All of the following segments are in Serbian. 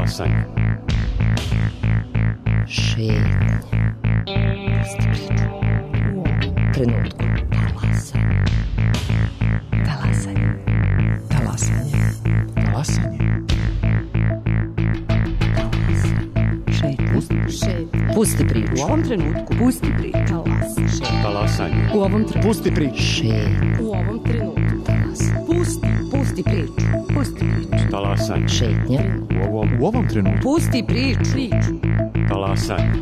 Talasanje. Šetnja. Pusti priču. U ovom trenutku. Talasanje. Talasanje. Talasanje. Talasanje. Šetnja. Pusti priču. U ovom trenutku. Pusti priču. Talasanje. U ovom trenutku. Pusti priču. Šetnja. U ovom trenutku. Pusti priču. Pusti priču. Talasanje. Šetnja. U ovom trenutku. Pusti priču. Talasanje.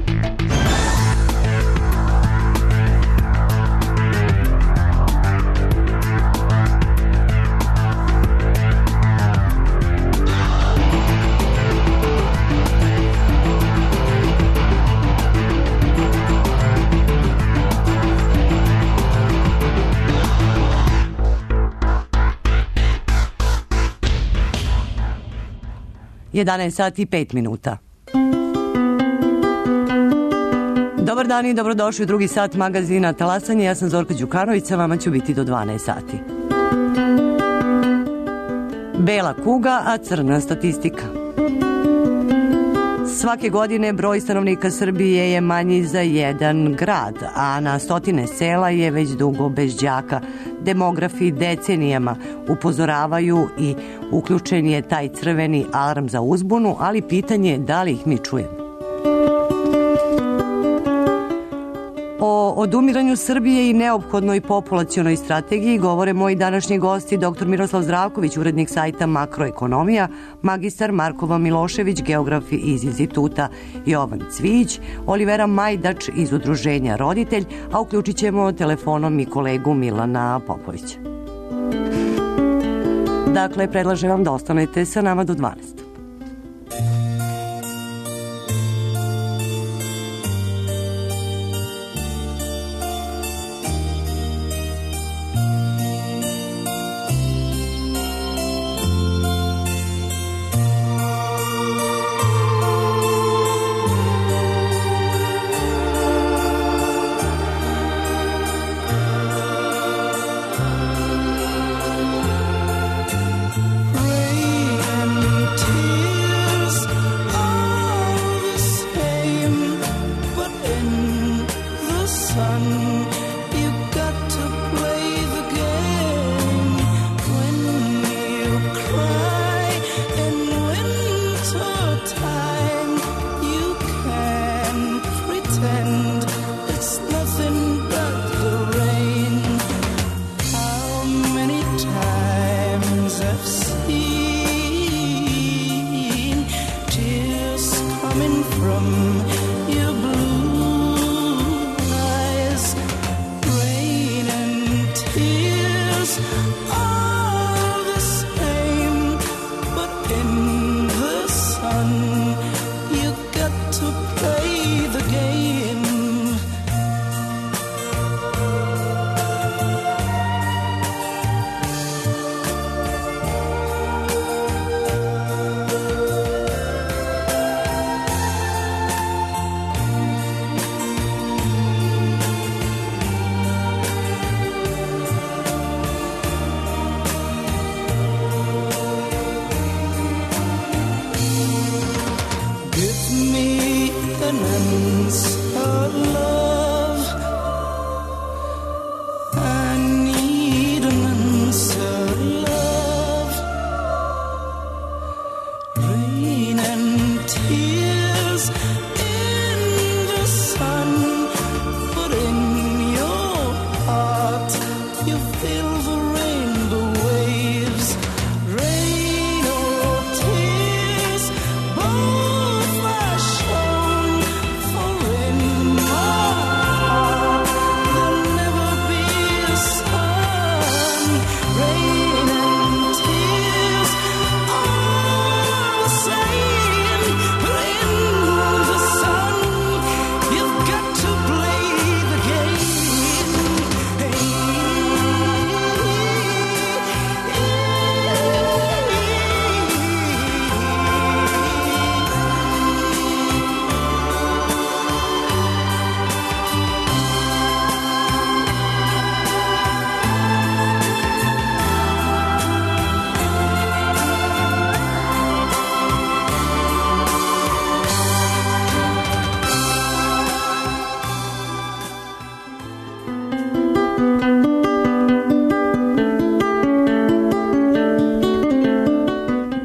Jedanaest sati i 5 minuta. Dobar dan i dobrodošli u drugi sat magazina Talasanje. Ja sam Zorka Đukanović, sa vama ću biti do 12 sati. Bela kuga, a crna statistika. Svake godine broj stanovnika Srbije je manji za jedan grad, a na stotine sela je već dugo bez đaka. Demografi decenijama upozoravaju i uključen je taj crveni alarm za uzbunu, ali pitanje je da li ih mi čujemo. O odumiranju Srbije i neophodnoj populacionoj strategiji govore moji današnji gosti, dr. Miroslav Zdravković, urednik sajta Makroekonomija, magistar Markova Milošević, geograf iz instituta Jovan Cvijić, Olivera Majdač iz udruženja Roditelj, a uključit ćemo telefonom i kolegu Milana Popovića. Dakle, predlažem vam da ostanete sa nama do 12.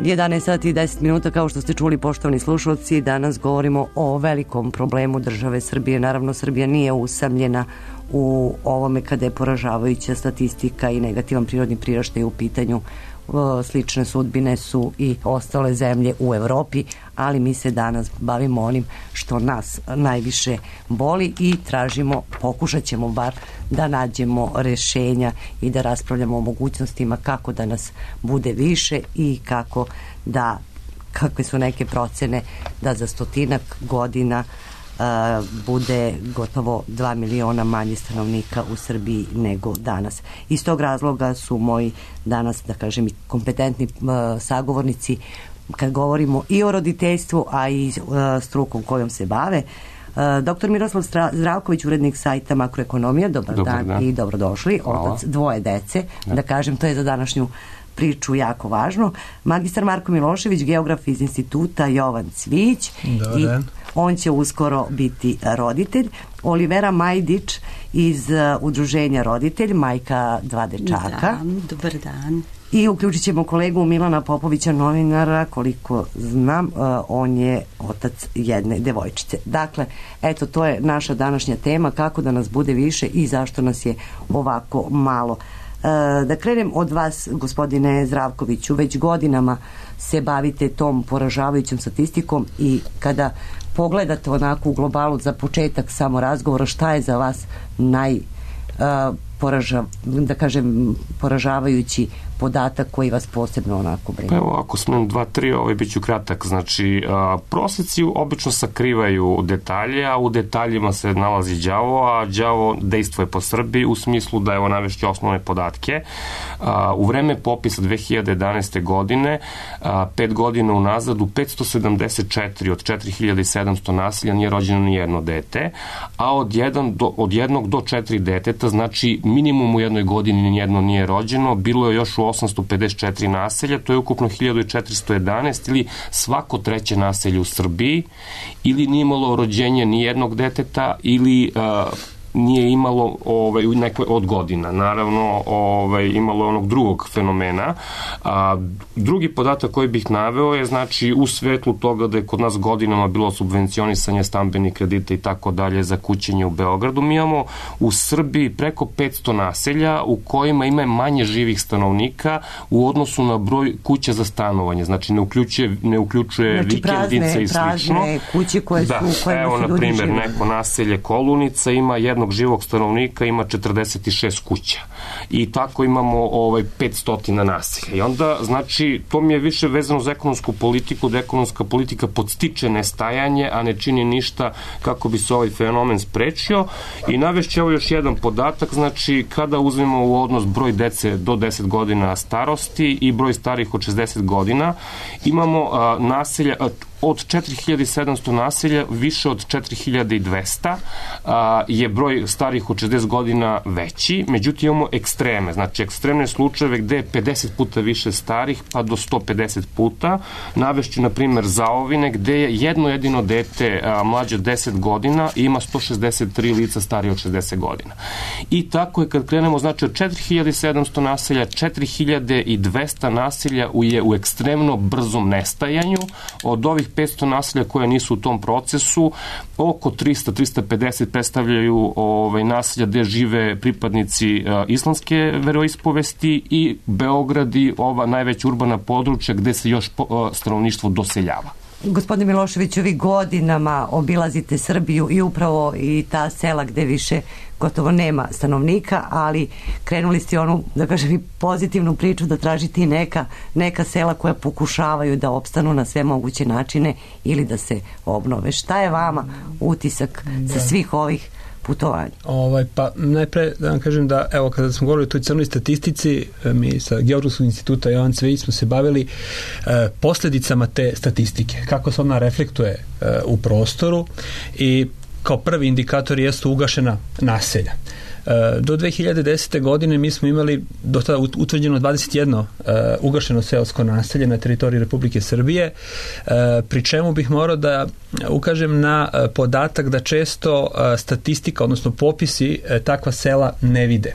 11 sati i 10 minuta, kao što ste čuli, poštovani slušalci, danas govorimo o velikom problemu države Srbije. Naravno, Srbija nije usamljena u ovome kada je poražavajuća statistika i negativan prirodni priraštaj u pitanju. Slične sudbine su i ostale zemlje u Evropi, ali mi se danas bavimo onim što nas najviše boli i tražimo, pokušat ćemo bar da nađemo rešenja i da raspravljamo o mogućnostima kako da nas bude više i kakve su neke procene da za 100 godina bude gotovo 2 miliona manje stanovnika u Srbiji nego danas. Iz tog razloga su moji danas, da kažem, i kompetentni sagovornici kad govorimo i o roditeljstvu, a i strukom kojom se bave. Dr. Miroslav Zdravković, urednik sajta Makroekonomija, dobar dan i dobrodošli. Otac dvoje dece, da kažem, to je za današnju priču jako važno. Magistar Marko Milošević, geograf iz instituta Jovan Cvijić, i on će uskoro biti roditelj. Olivera Majdić iz udruženja Roditelj, majka 2 dečaka. Dobar dan. I uključit ćemo kolegu Milana Popovića, novinara, koliko znam, on je otac jedne devojčice. Dakle, eto, to je naša današnja tema, kako da nas bude više i zašto nas je ovako malo. Da krenem od vas, gospodine Zdravkoviću, već godinama se bavite tom poražavajućom statistikom i kada pogledate onako u globalu za početak samo razgovora, šta je za vas poražavajući podatak koji vas posebno onako brine? Pa evo, ako smem 2-3, bit ću kratak. Znači, proseci obično sakrivaju detalje, a u detaljima se nalazi đavo, a đavo dejstvuje po Srbiji u smislu da, evo, navešću osnovne podatke. U vreme popisa 2011. godine, 5 godina unazad, u 574 od 4700 naselja nije rođeno ni jedno dete, a od 1 do 4 deteta, znači minimum u jednoj godini nijedno nije rođeno, bilo je još u 854 naselja, to je ukupno 1411, ili svako 3. naselje u Srbiji, ili nije imalo rođenje ni jednog deteta, ili nije imalo u nekoj od godina. Naravno, imalo je onog drugog fenomena. Drugi podatak koji bih naveo je, znači, u svetlu toga da je kod nas godinama bilo subvencionisanje stambenih kredita i tako dalje za kućenje u Beogradu. Mi imamo u Srbiji preko 500 naselja u kojima ima manje živih stanovnika u odnosu na broj kuća za stanovanje. Znači, ne uključuje vikendice i slično. Prazne kuće koje su, u kojima evo, su ljudi na primjer, živi. neko naselje Kolunica ima jednog živog stanovnika, ima 46 kuća. I tako imamo 500 naselja. I onda, znači, to mi je više vezano za ekonomsku politiku, da ekonomska politika podstiče nestajanje, a ne čini ništa kako bi se ovaj fenomen sprečio. I navešću evo još jedan podatak, znači, kada uzmemo u odnos broj dece do 10 godina starosti i broj starih od 60 godina, imamo naselja od 4700 naselja, više od 4200 je broj starih od 60 godina veći, međutim imamo ekstreme, znači ekstremne slučajeve gde je 50 puta više starih pa do 150 puta. Navešću, na primjer, Zaovine, gde je jedno jedino dete mlađe od 10 godina i ima 163 lica starije od 60 godina. I tako je kad krenemo, znači od 4700 naselja, 4200 naselja je u ekstremno brzom nestajanju. Od ovih 500 naselja koja nisu u tom procesu, oko 300-350 predstavljaju naselja gde žive pripadnici islamske veroispovesti i Beograd i ova najveća urbana područja gde se još stanovništvo doseljava. Gospodine Miloševiću, vi godinama obilazite Srbiju i upravo i ta sela gde više gotovo nema stanovnika, ali krenuli ste onu, da kažem, i pozitivnu priču da tražite i neka sela koja pokušavaju da opstanu na sve moguće načine ili da se obnove. Šta je vama utisak sa svih ovih putovanja? Pa najpre da vam kažem da, evo, kada smo govorili o toj crnoj statistici, mi sa Geografskog instituta Jovan Cvijić smo se bavili posledicama te statistike, kako se ona reflektuje u prostoru, i kao prvi indikator jesu ugašena naselja. Do 2010. godine mi smo imali do tada utvrđeno 21 ugašeno seosko naselje na teritoriji Republike Srbije, pri čemu bih morao da ukažem na podatak da često statistika, odnosno popisi takva sela ne vide.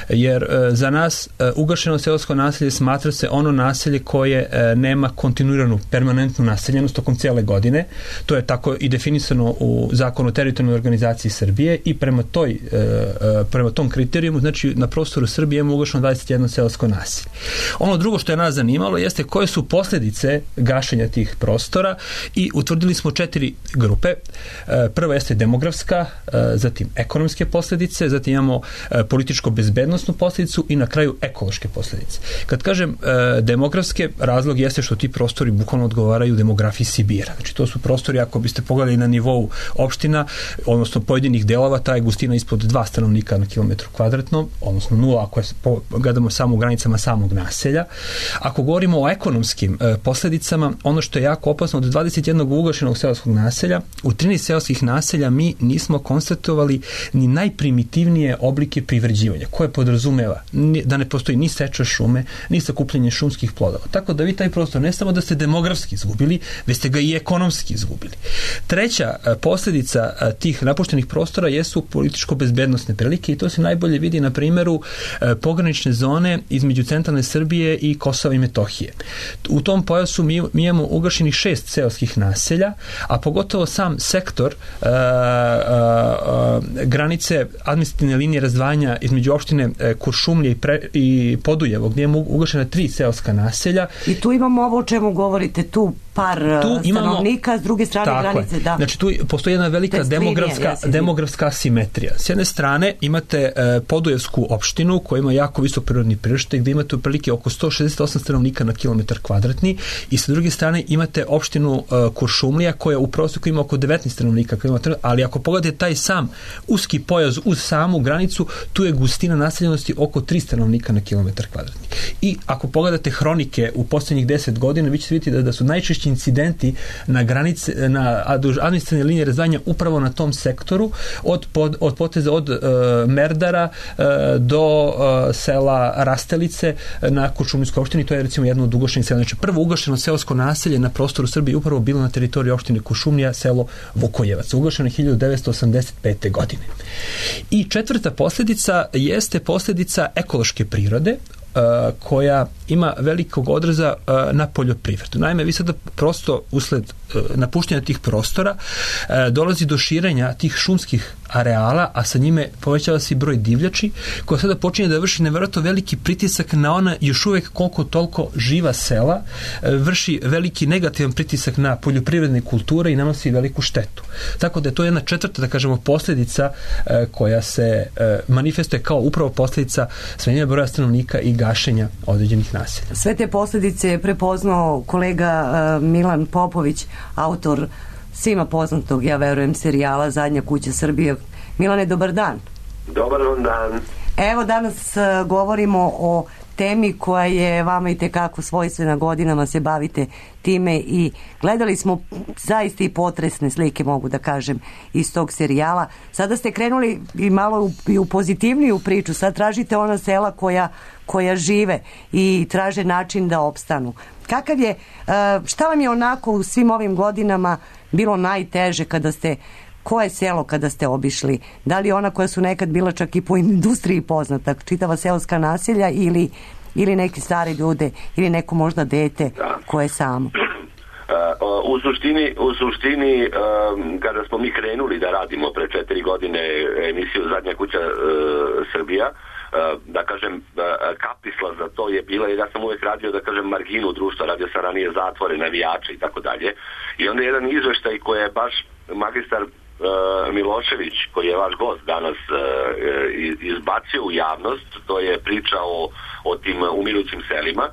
Jer za nas ugašeno seosko naselje smatra se ono naselje koje nema kontinuiranu, permanentnu naseljenost tokom cijele godine. To je tako i definisano u Zakonu o teritorijalnoj organizaciji Srbije i prema tom kriterijumu, znači na prostoru Srbije imamo ugašeno 21 seosko naselje. Ono drugo što je nas zanimalo jeste koje su posljedice gašenja tih prostora i utvrdili smo 4 grupe. Prva jeste demografska, zatim ekonomske posljedice, zatim imamo političko-bezbednosnu posljedicu i na kraju ekološke posljedice. Kad kažem demografske, razlog jeste što ti prostori bukvalno odgovaraju demografiji Sibira. Znači to su prostori, ako biste pogledali na nivou opština, odnosno pojedinih delova, ta je gustina ispod 2 stanovnika na kilometru kvadratnom, odnosno 0 ako gledamo samo u granicama samog naselja. Ako govorimo o ekonomskim posljedicama, ono što je jako opasno, od 21 ugašenog seoskog naselja, u 13 seoskih naselja mi nismo konstatovali ni najprimitivnije oblike privređivanja, koje podrazumeva da ne postoji ni seča šume, ni sakupljanje šumskih plodova. Tako da vi taj prostor ne samo da ste demografski izgubili, već ste ga i ekonomski izgubili. Treća posljedica tih napuštenih prostora jesu političko-bezbednosne prilike i to se najbolje vidi na primjeru pogranične zone između centralne Srbije i Kosova i Metohije. U tom pojasu mi imamo ugašenih 6 seoskih naselja, a pogotovo sam sektor granice administrativne linije razdvajanja između opštine Kuršumlje i Podujevo, gdje imamo ugašena 3 seoska naselja. I tu imamo ovo o čemu govorite, tu par stanovnika, s druge strane granice. Da. Znači tu postoji jedna velika demografska asimetrija. S jedne strane imate Podujevsku opštinu koja ima jako visok prirodni priraštaj gdje imate otprilike oko 168 stanovnika na kilometar kvadratni i sa druge strane imate opštinu Kuršumlija koja u prosjeku ima oko 19 stanovnika, ali ako pogledate taj sam uski pojas uz samu granicu, tu je gustina naseljenosti oko 3 stanovnika na kilometar kvadratni. I ako pogledate hronike u posljednjih 10 godina, vi ćete vidjeti da su najčešći incidenti na granice, na administrativne linije razdvajanja upravo na tom sektoru, od poteza od Merdara do sela Rastelice na Kuršumlijskoj opštini. To je recimo jedno od ugašenih sela. Znači prvo ugašeno seosko naselje na prostoru Srbije upravo bilo na teritoriji opštine Kuršumlija, selo Vukojevac, ugašeno 1985. godine. I četvrta posljedica jeste posljedica ekološke prirode, koja ima velikog odraza na poljoprivredu. Naime, vi sada prosto usled napuštanja tih prostora dolazi do širenja tih šumskih areala, a sa njime povećava se i broj divljači, koja sada počinje da vrši nevjerojatno veliki pritisak na ona još uvijek koliko toliko živa sela, vrši veliki negativan pritisak na poljoprivredne kulture i nanosi veliku štetu. Tako da je to jedna četvrta, da kažemo, posljedica koja se manifestuje kao upravo posljedica smanjenja broja stanovnika i gašenja određenih naselja. Sve te posljedice je prepoznao kolega Milan Popović, autor svima poznatog, ja verujem, serijala Zadnja kuća Srbije. Milane, dobar dan. Dobar vam dan. Evo, danas govorimo o temi koja je vama i tekako svojstvena, godinama se bavite time i gledali smo zaista i potresne slike, mogu da kažem, iz tog serijala. Sada ste krenuli i malo i u pozitivniju priču, sad tražite ona sela koja žive i traže način da opstanu. Kakav je, šta vam je onako u svim ovim godinama bilo najteže koje selo kada ste obišli? Da li ona koja su nekad bila čak i po industriji poznata, čitava seoska naselja ili neki stari ljude ili neko možda dete koje je samo? U suštini kada smo mi krenuli da radimo pre 4 godine emisiju Zadnja kuća Srbija, da kažem, kapisla za to je bila, jer ja sam uvijek radio, da kažem, marginu društva, radio sam ranije zatvore, navijače i tako dalje. I onda jedan izveštaj koji je baš magistar Milošević, koji je vaš gost danas, izbacio u javnost, to je priča o tim umirućim selima.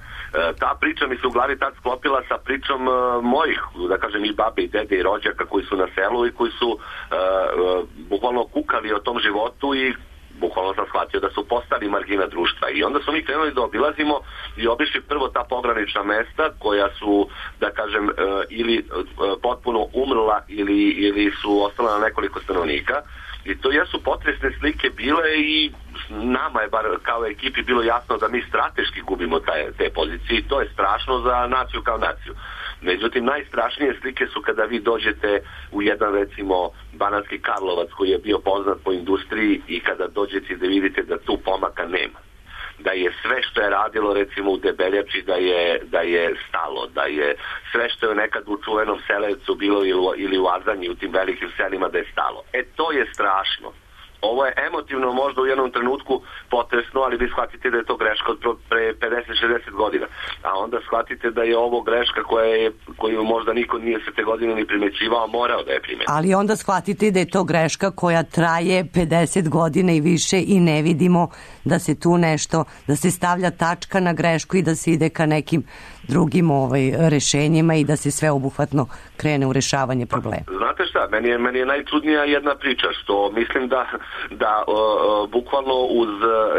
Ta priča mi se u glavi tad sklopila sa pričom mojih, da kažem, i babe i dede i rođaka koji su na selu i koji su bukvalno kukali o tom životu i bukvalno sam shvatio da su postali margina društva. I onda smo mi krenuli da obilazimo i obišli prvo ta pogranična mesta koja su, da kažem, ili potpuno umrla ili su ostala na nekoliko stanovnika. I to jesu potresne slike bile i nama je bar kao ekipi bilo jasno da mi strateški gubimo te pozicije i to je strašno za naciju kao naciju. Međutim, najstrašnije slike su kada vi dođete u jedan, recimo, Banatski Karlovac koji je bio poznat po industriji i kada dođete da vidite da tu pomaka nema. Da je sve što je radilo, recimo, u Debeljači da je stalo, da je sve što je nekad u čuvenom Selevcu bilo ili u Azanji, u tim velikim selima da je stalo. To je strašno. Ovo je emotivno možda u jednom trenutku potresno, ali vi shvatite da je to greška od pre 50-60 godina. A onda shvatite da je ovo greška koju možda niko nije sve te godine ni primećivao, morao da je primeti. Ali onda shvatite da je to greška koja traje 50 godina i više i ne vidimo da se tu nešto, da se stavlja tačka na grešku i da se ide ka nekim drugim rešenjima i da se sveobuhvatno krene u rešavanje problema. Znate šta, meni je najčudnija jedna priča, što mislim da bukvalno uz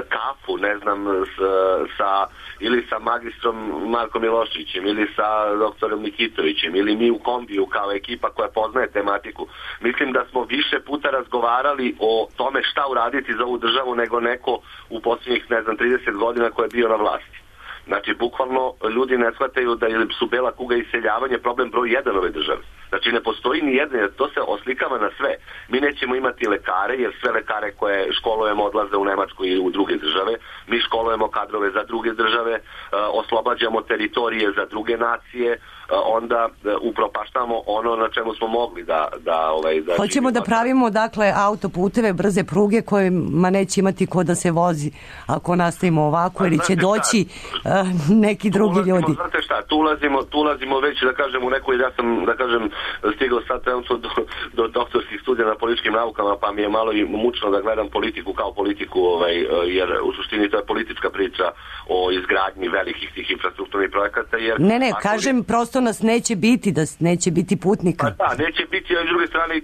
kafu, ne znam, ili sa magistrom Markom Miloševićem, ili sa doktorom Nikitovićem, ili mi u kombiju kao ekipa koja poznaje tematiku, mislim da smo više puta razgovarali o tome šta uraditi za ovu državu nego neko u posljednjih, 30 godina ko je bio na vlasti. Znači, bukvalno ljudi ne shvataju da su bela kuga i iseljavanje problem broj 1 ove države. Znači, ne postoji ni jedan, jer to se oslikava na sve. Mi nećemo imati lekare, jer sve lekare koje školujemo odlaze u Nemačku i u druge države. Mi školujemo kadrove za druge države, oslobađamo teritorije za druge nacije, onda upropaštamo ono na čemu smo mogli da hoćemo da pravimo, dakle, autoputeve, brze pruge kojima neće imati ko da se vozi ako nastavimo ovako, ili će doći neki drugi ljudi. Znate šta, tu ulazimo već, da kažem, u nekoj, ja sam, da kažem, stigao sad trenutno do doktorskih studija na političkim naukama, pa mi je malo i mučno da gledam politiku kao politiku, jer u suštini to je politička priča o izgradnji velikih tih infrastrukturnih projekata. Ne, kažem, prosto nas neće biti, da neće biti putnika. Pa da, neće biti, a s druge strane i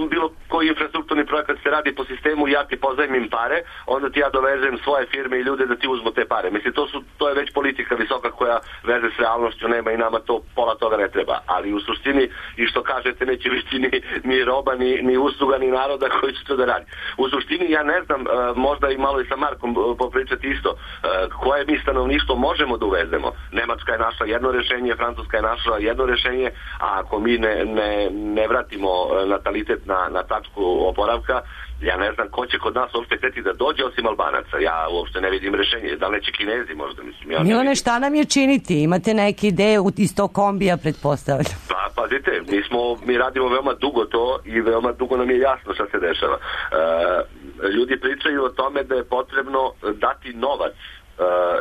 bilo koji infrastrukturni projekat se radi po sistemu, ja ti pozajmim pare, onda ti ja dovezem svoje firme i ljude da ti uzmu te pare. Mislim, to je već politika visoka koja veze s realnošću nema i nama to pola toga ne treba. Ali u suštini, i što kažete, neće biti ni roba, ni usluga, ni naroda koji će to da radi. U suštini, ja ne znam, možda i malo i sa Markom popričati isto, koje mi stanovništvo možemo da uvezemo. Nemačka je našla jedno rešenje, Francuska je našla jedno rešenje, a ako mi ne vratimo natalitet na tačku oporavka, ja ne znam ko će kod nas uopšte hteti da dođe osim Albanaca. Ja uopšte ne vidim rešenje. Da li neće Kinezi možda? Mislim, Milane, šta nam je činiti? Imate neke ideje iz tog kombija, pretpostavljam? Pa, pazite, mi radimo veoma dugo to i veoma dugo nam je jasno šta se dešava. Ljudi pričaju o tome da je potrebno dati novac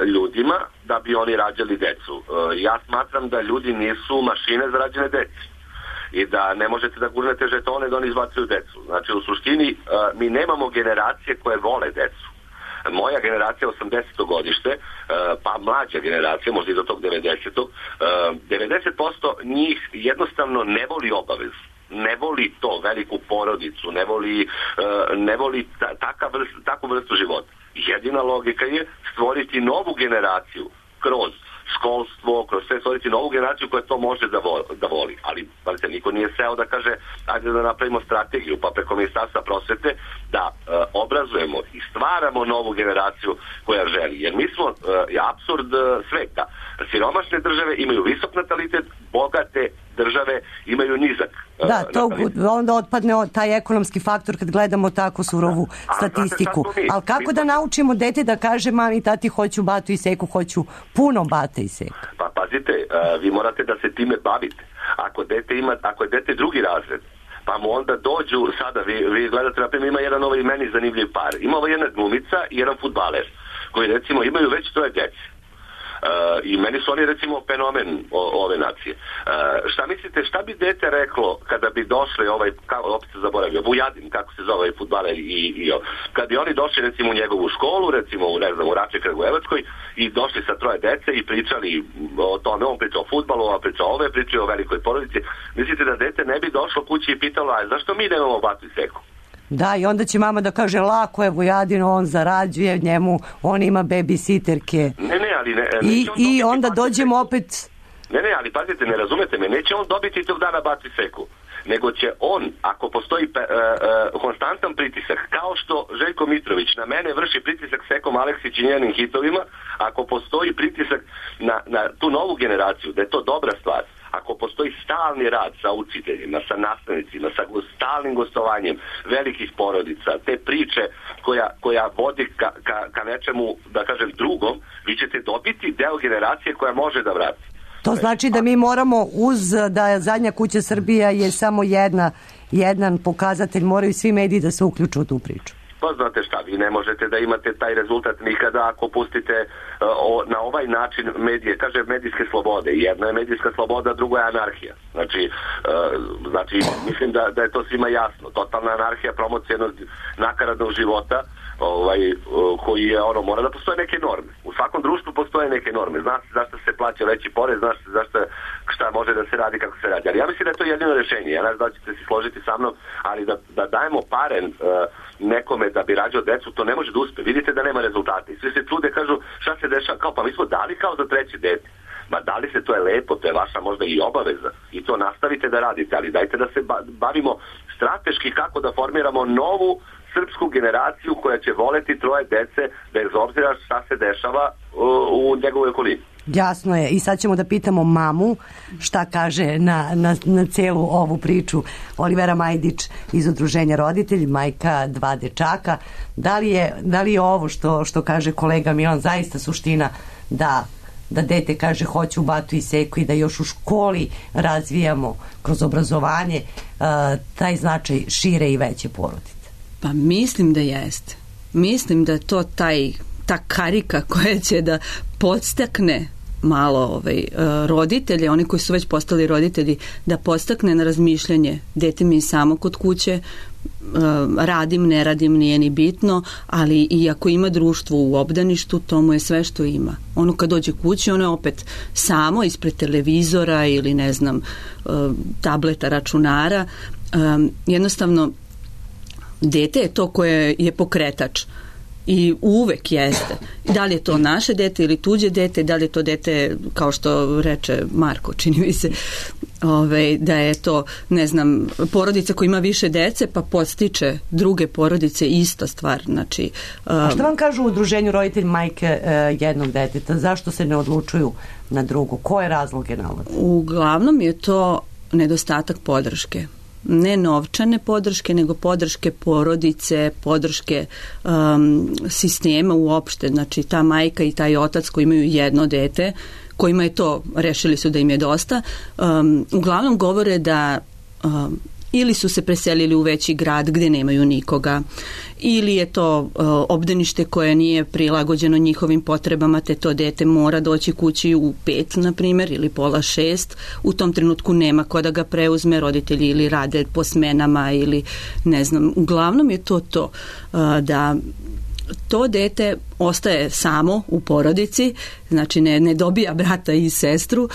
ljudima da bi oni rađali decu. Ja smatram da ljudi nisu mašine za rađene dece i da ne možete da gurnete žetone da oni izbacuju decu. Znači, u suštini mi nemamo generacije koje vole decu. Moja generacija 80. godište, pa mlađa generacija, možda i do tog 90. 90% njih jednostavno ne voli obavezu. Ne voli to, veliku porodicu, ne voli takvu vrstu života. Jedina logika je stvoriti novu generaciju kroz školstvo, kroz sve, stvoriti novu generaciju koja to može da voli. Ali niko nije seo da kaže ajde da napravimo strategiju, pa preko Ministarstva prosvete da obrazujemo i stvaramo novu generaciju koja želi. Jer mi smo apsurd sveta. Siromašne države imaju visok natalitet, bogate države imaju nizak. Da, to onda otpadne taj ekonomski faktor kad gledamo tako surovu statistiku. Ali kako da naučimo dete da kaže mami, tati, hoću batu i seku, hoću puno bata i seka? Pa pazite, vi morate da se time bavite. Ako je dete drugi razred, pa mu onda dođu, sada vi gledate, na primjer, ima jedan meni zanimljiv par. Ima jedna glumica i jedan fudbaler, koji recimo imaju već 3 djece. I meni su oni recimo fenomen ove nacije. Šta mislite, šta bi dete reklo kada bi došli opet se zaboravio, Vujadin, kako se zove ovaj fudbaler kad bi oni došli recimo u njegovu školu, recimo u Rače Kragujevačkoj i došli sa 3 dece i pričali o tome, on priča o fudbalu, ova priča o priča o velikoj porodici, mislite da dete ne bi došlo kući i pitalo, a zašto mi nemamo batu i seku? Da, i onda će mama da kaže, lako je Vujadin, on zarađuje njemu, on ima babysitterke. I onda dođemo opet... Ne, ali pazite, ne razumete me, neće on dobiti tog dana batu i seku. nego će on, ako postoji konstantan pritisak, kao što Željko Mitrović na mene vrši pritisak s Ekom Aleksić i njenim hitovima, ako postoji pritisak na tu novu generaciju, da je to dobra stvar, ako postoji stalni rad sa učiteljima, sa nastavnicima, sa stalnim gostovanjem velikih porodica, te priče koja vodi ka nečemu, da kažem, drugom, vi ćete dobiti deo generacije koja može da vrati. To znači da mi moramo, uz da Zadnja kuća Srbija je samo jedan pokazatelj, moraju svi mediji da se uključu u tu priču. Pa znate šta, vi ne možete da imate taj rezultat nikada ako pustite na ovaj način medije, kaže medijske slobode. Jedna je medijska sloboda, druga je anarhija. Znači mislim da je to svima jasno. Totalna anarhija, promocija jednog nakaradnog života, koji je mora da postoje neke norme. U svakom društvu postoje neke norme. Zna se zašto se plaća veći porez, zna se zašto šta može da se radi, kako se radi. Ali ja mislim da je to jedino rešenje. Ja ne znam da ćete se složiti sa mnom, ali da dajemo pare nekome da bi rađao decu, to ne može da uspe. Vidite da nema rezultata. I svi se trude, kažu šta se dešava, kao pa mi smo dali kao za treće dete. Ma dali se, to je lepo, to je vaša možda i obaveza i to nastavite da radite, ali dajte da se bavimo strateški kako da formiramo novu srpsku generaciju koja će voleti troje dece bez obzira šta se dešava u njegovoj okolini. Jasno je. I sad ćemo da pitamo mamu šta kaže na celu ovu priču. Olivera Majdić iz Udruženja Roditelji, majka 2 dečaka. Da li je ovo što kaže kolega Milan zaista suština da dete kaže hoću u Batu i Seku i da još u školi razvijamo kroz obrazovanje taj značaj šire i veće porodice? Pa mislim da jeste. Mislim da je to ta karika koja će da podstakne malo roditelje, oni koji su već postali roditelji, da podstakne na razmišljanje. Dete mi je samo kod kuće, radim, ne radim, nije ni bitno, ali i ako ima društvo u obdaništu, to mu je sve što ima. Ono kad dođe kući, ono je opet samo ispred televizora ili ne znam, tableta, računara. Jednostavno, dete je to koje je pokretač i uvek jeste. Da li je to naše dete ili tuđe dete, da li je to dete, kao što reče Marko, čini mi se, da je to, ne znam, porodica koja ima više dece pa podstiče druge porodice, ista stvar. Znači, a što vam kažu u Udruženju roditelj majke jednog deteta? Zašto se ne odlučuju na drugo? Koje razloge navode? Uglavnom je to nedostatak podrške. Ne novčane podrške, nego podrške porodice, podrške sistema uopšte. Znači, ta majka i taj otac koji imaju jedno dete, kojima je to, rešili su da im je dosta, uglavnom govore da ili su se preselili u veći grad gde nemaju nikoga, ili je to obdanište koje nije prilagođeno njihovim potrebama, te to dete mora doći kući u 5, na primjer, ili pola 6. U tom trenutku nema ko da ga preuzme, roditelji ili rade po smenama ili ne znam. Uglavnom je to da to dete ostaje samo u porodici, znači ne dobija brata i sestru,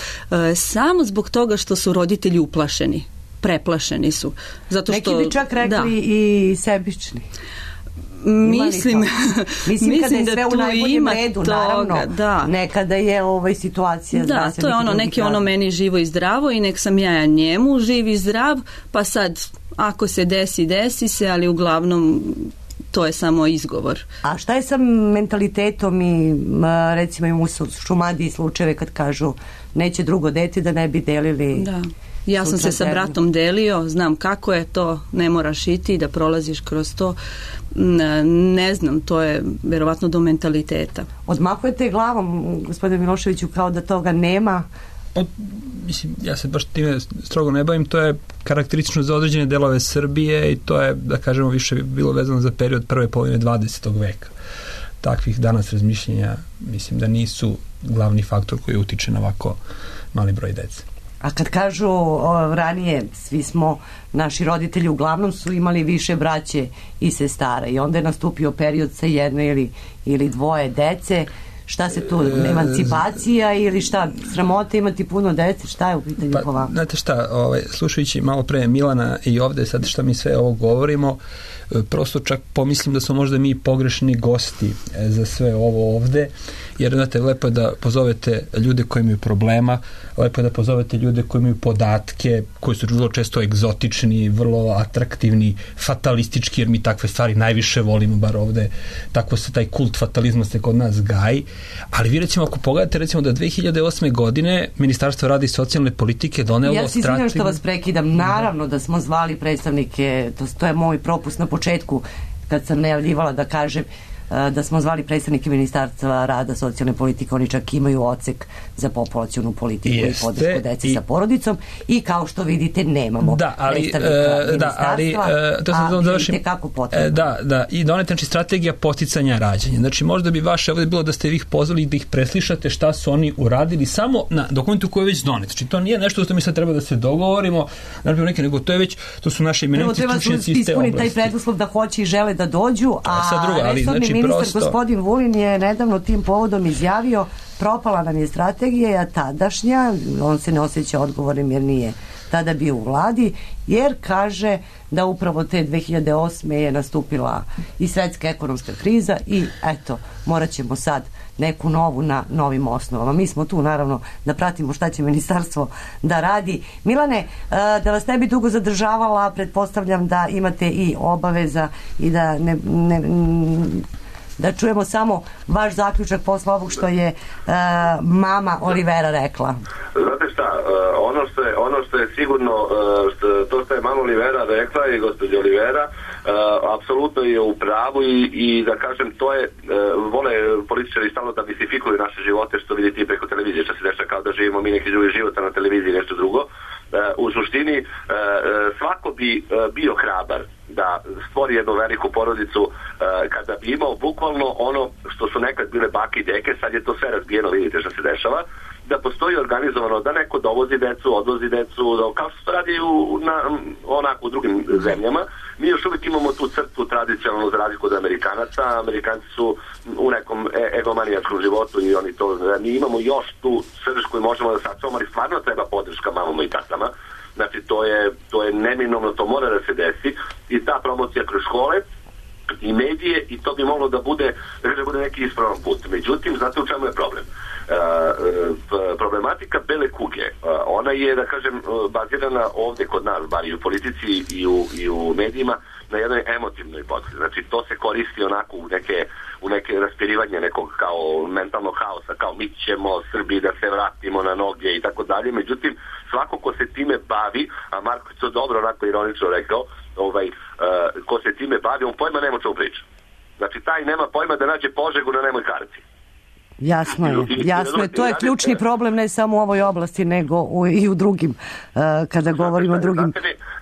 samo zbog toga što su roditelji uplašeni. Preplašeni su. Zato što, neki bi čak rekli i sebični. Mislim kada je sve u najboljem redu, toga, naravno, da. Nekada je situacija. Da, to je neki meni živo i zdravo i nek sam ja njemu živ i zdrav, pa sad ako se desi se, ali uglavnom to je samo izgovor. A šta je sa mentalitetom i recimo imamo u Šumadiji slučajeve kad kažu neće drugo dete da ne bi delili? Da. Ja sam se sa bratom delio, znam kako je to, ne moraš iti da prolaziš kroz to. Ne znam, to je verovatno do mentaliteta. Odmahujete glavom, gospodine Miloševiću, kao da toga nema? Pa, mislim, ja se baš time strogo ne bavim, to je karakteristično za određene delove Srbije i to je, da kažemo, više bilo vezano za period prve polovine 20. veka. Takvih danas razmišljenja, mislim da nisu glavni faktor koji utiče na ovako mali broj dece. A kad kažu ranije, naši roditelji uglavnom su imali više braće i sestara i onda je nastupio period sa jedno ili dvoje dece, Šta se tu, emancipacija ili šta, sramota imati puno dece, šta je u pitanju po vama? Znate šta, slušajući malo pre Milana i ovde sad šta mi sve ovo govorimo, prosto čak pomislim da smo možda mi pogrešni gosti za sve ovo ovde, jer znate, lepo je da pozovete ljude koji imaju problema, lepo je da pozovete ljude koji imaju podatke, koji su vrlo često egzotični, vrlo atraktivni, fatalistički, jer mi takve stvari najviše volimo, bar ovde, tako se taj kult fatalizma se kod nas gaji, ali vi recimo ako pogledate recimo da 2008. godine Ministarstvo rada i socijalne politike donelo strategiju. Ja se izvinjam što vas prekidam, naravno da smo zvali predstavnike, to je moj propust na početku kad sam najavljivala da kažem da smo zvali predstavnike Ministarstva rada, socijalne politike, oni čak imaju odsek za populacionu politiku i podršku deci sa porodicom i kao što vidite nemamo predstavnika ministarstva, a vidite kako potrebno. I doneta znači strategija podsticanja rađanja. Znači možda bi vaše ovdje bilo da ste ih pozvali da ih preslišate šta su oni uradili samo na dokumentu koji je već donet. Znači to nije nešto što mi sad treba da se dogovorimo, nego to je već, to su naše eminentni stručnjaci iz te oblasti. Taj preduslov da hoće i žele da dođu, a ministar gospodin Vulin je nedavno tim povodom izjavio propala nam je strategija tadašnja, on se ne osjeća odgovornim jer nije tada bio u vladi, jer kaže da upravo te 2008. je nastupila i svetska ekonomska kriza i eto, morat ćemo sad neku novu na novim osnovama. Mi smo tu naravno da pratimo šta će ministarstvo da radi. Milane, da vas ne bi dugo zadržavala, pretpostavljam da imate i obaveza i da čujemo samo vaš zaključak posle ovog što je mama Olivera rekla. Znate šta, ono što je sigurno, to što je mama Olivera rekla i gospođa Olivera, apsolutno je u pravu i da kažem, to je, vole političari stalno da mistifikuju naše živote, što vidite i preko televizije, što se dešava kao da živimo mi neki drugi život, na televiziji nešto drugo. U suštini svako bi bio hrabar da stvori jednu veliku porodicu kada bi imao bukvalno ono što su nekad bile bake i deke, sad je to sve razbijeno, vidite što se dešava, da postoji organizovano da neko dovozi decu, odvozi decu, kao što se radi onako u drugim zemljama. Mi još uvijek imamo tu crtu tradicionalnu za razliku od Amerikanaca. Amerikanci su u nekom egomanijačkom životu i oni to, mi imamo još tu srž koju možemo da sačuvamo, ali stvarno treba podrška mamama i tatama. Znači to je neminovno, to mora da se desi i ta promocija kroz škole i medije i to bi moglo da bude neki ispravan put. Međutim, znate u čemu je problem? Problematika bele kuge, ona je, da kažem, bazirana ovdje kod nas, bar i u politici i u medijima, na jednoj emotivnoj podlozi. Znači, to se koristi onako u neke raspirivanje nekog kao mentalnog haosa, kao mi ćemo Srbi da se vratimo na noge i tako dalje. Međutim, svako ko se time bavi, a Marko je to dobro onako ironično rekao, ko se time bavi, on pojma nema čemu priča. Znači, taj nema pojma da nađe Požegu na nemoj karti. Jasno je, to je ključni problem ne samo u ovoj oblasti, nego i u drugim, kada govorimo o drugim.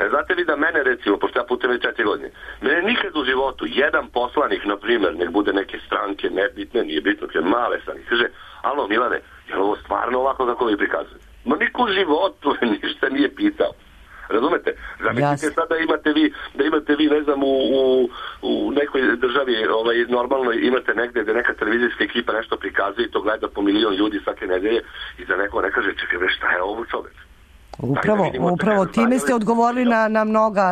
Znate li da mene, recimo, pošto ja putujem već 4 godine, mene nikad u životu jedan poslanik, na primjer, nek bude neke stranke, nebitne, nije bitno, jer male stranke, kaže, alo Milane, je li ovo stvarno ovako kako vi prikazujete? Ma niko u životu ništa nije pitao. Razumete? Zamislite sad da imate vi, ne znam, u nekoj državi normalno imate negde gde neka televizijska ekipa nešto prikazuje i to gleda po milion ljudi svake nedelje i da neko ne kaže, čekaj, šta je ovo čovek? Upravo time ste odgovorili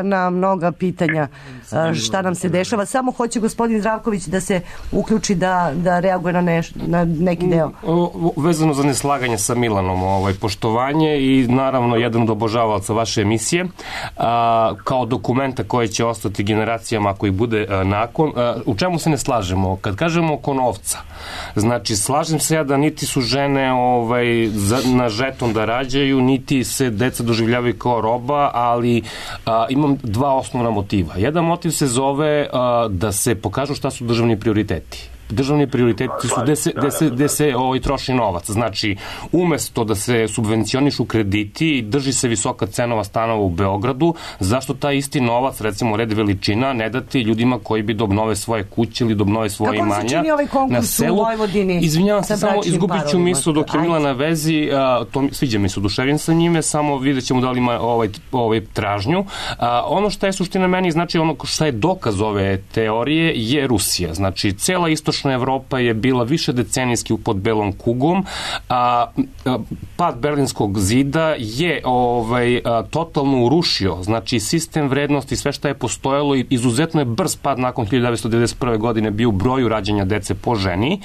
na mnoga pitanja šta nam se dešava. Samo hoće gospodin Zdravković da se uključi da reaguje na neki deo. Vezano za neslaganje sa Milanom, poštovanje i naravno jedan od obožavalaca vaše emisije kao dokumenta koje će ostati generacijama koji bude nakon. U čemu se ne slažemo? Kad kažemo oko novca, znači slažem se ja da niti su žene na žeton da rađaju, niti se deca doživljavaju kao roba, ali imam dva osnovna motiva. Jedan motiv se zove da se pokažu šta su državni prioriteti. Državni prioriteti su gde se troši novac. Znači, umesto da se subvencionišu krediti i drži se visoka cenova stanova u Beogradu, zašto taj isti novac, recimo red veličina, ne dati ljudima koji bi da obnove svoje kuće ili da obnove svoje imanja. Kako se čini ovaj konkurs u Vojvodini? Izvinjavam se, samo izgubit ću misl dok je Mila na vezi, sviđa mi se, oduševim sa njime, samo vidjet ćemo da li ima tražnju. Ono što je suština meni, znači ono što je dokaz ove teorije je Rusija. Znači, cela istočna istočna Evropa je bila više decenijski pod belom kugom, a pad Berlinskog zida je totalno urušio, znači sistem vrednosti, sve što je postojalo i izuzetno je brz pad nakon 1991. godine bio u broju rađanja dece po ženi,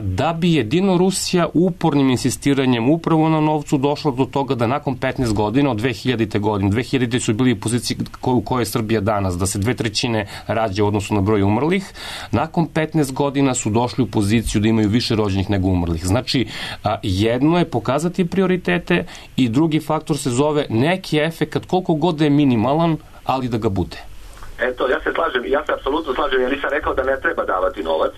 da bi jedino Rusija upornim insistiranjem upravo na novcu došla do toga da nakon 15 godina, od 2000. godine, 2000. su bili u poziciji u kojoj je Srbija danas, da se 2/3 rađa u odnosu na broj umrlih, nakon 15 godina su došli u poziciju da imaju više rođenih nego umrlih. Znači, jedno je pokazati prioritete i drugi faktor se zove neki efekat, koliko god da je minimalan, ali da ga bude. Eto, ja se apsolutno slažem, ja nisam rekao da ne treba davati novac,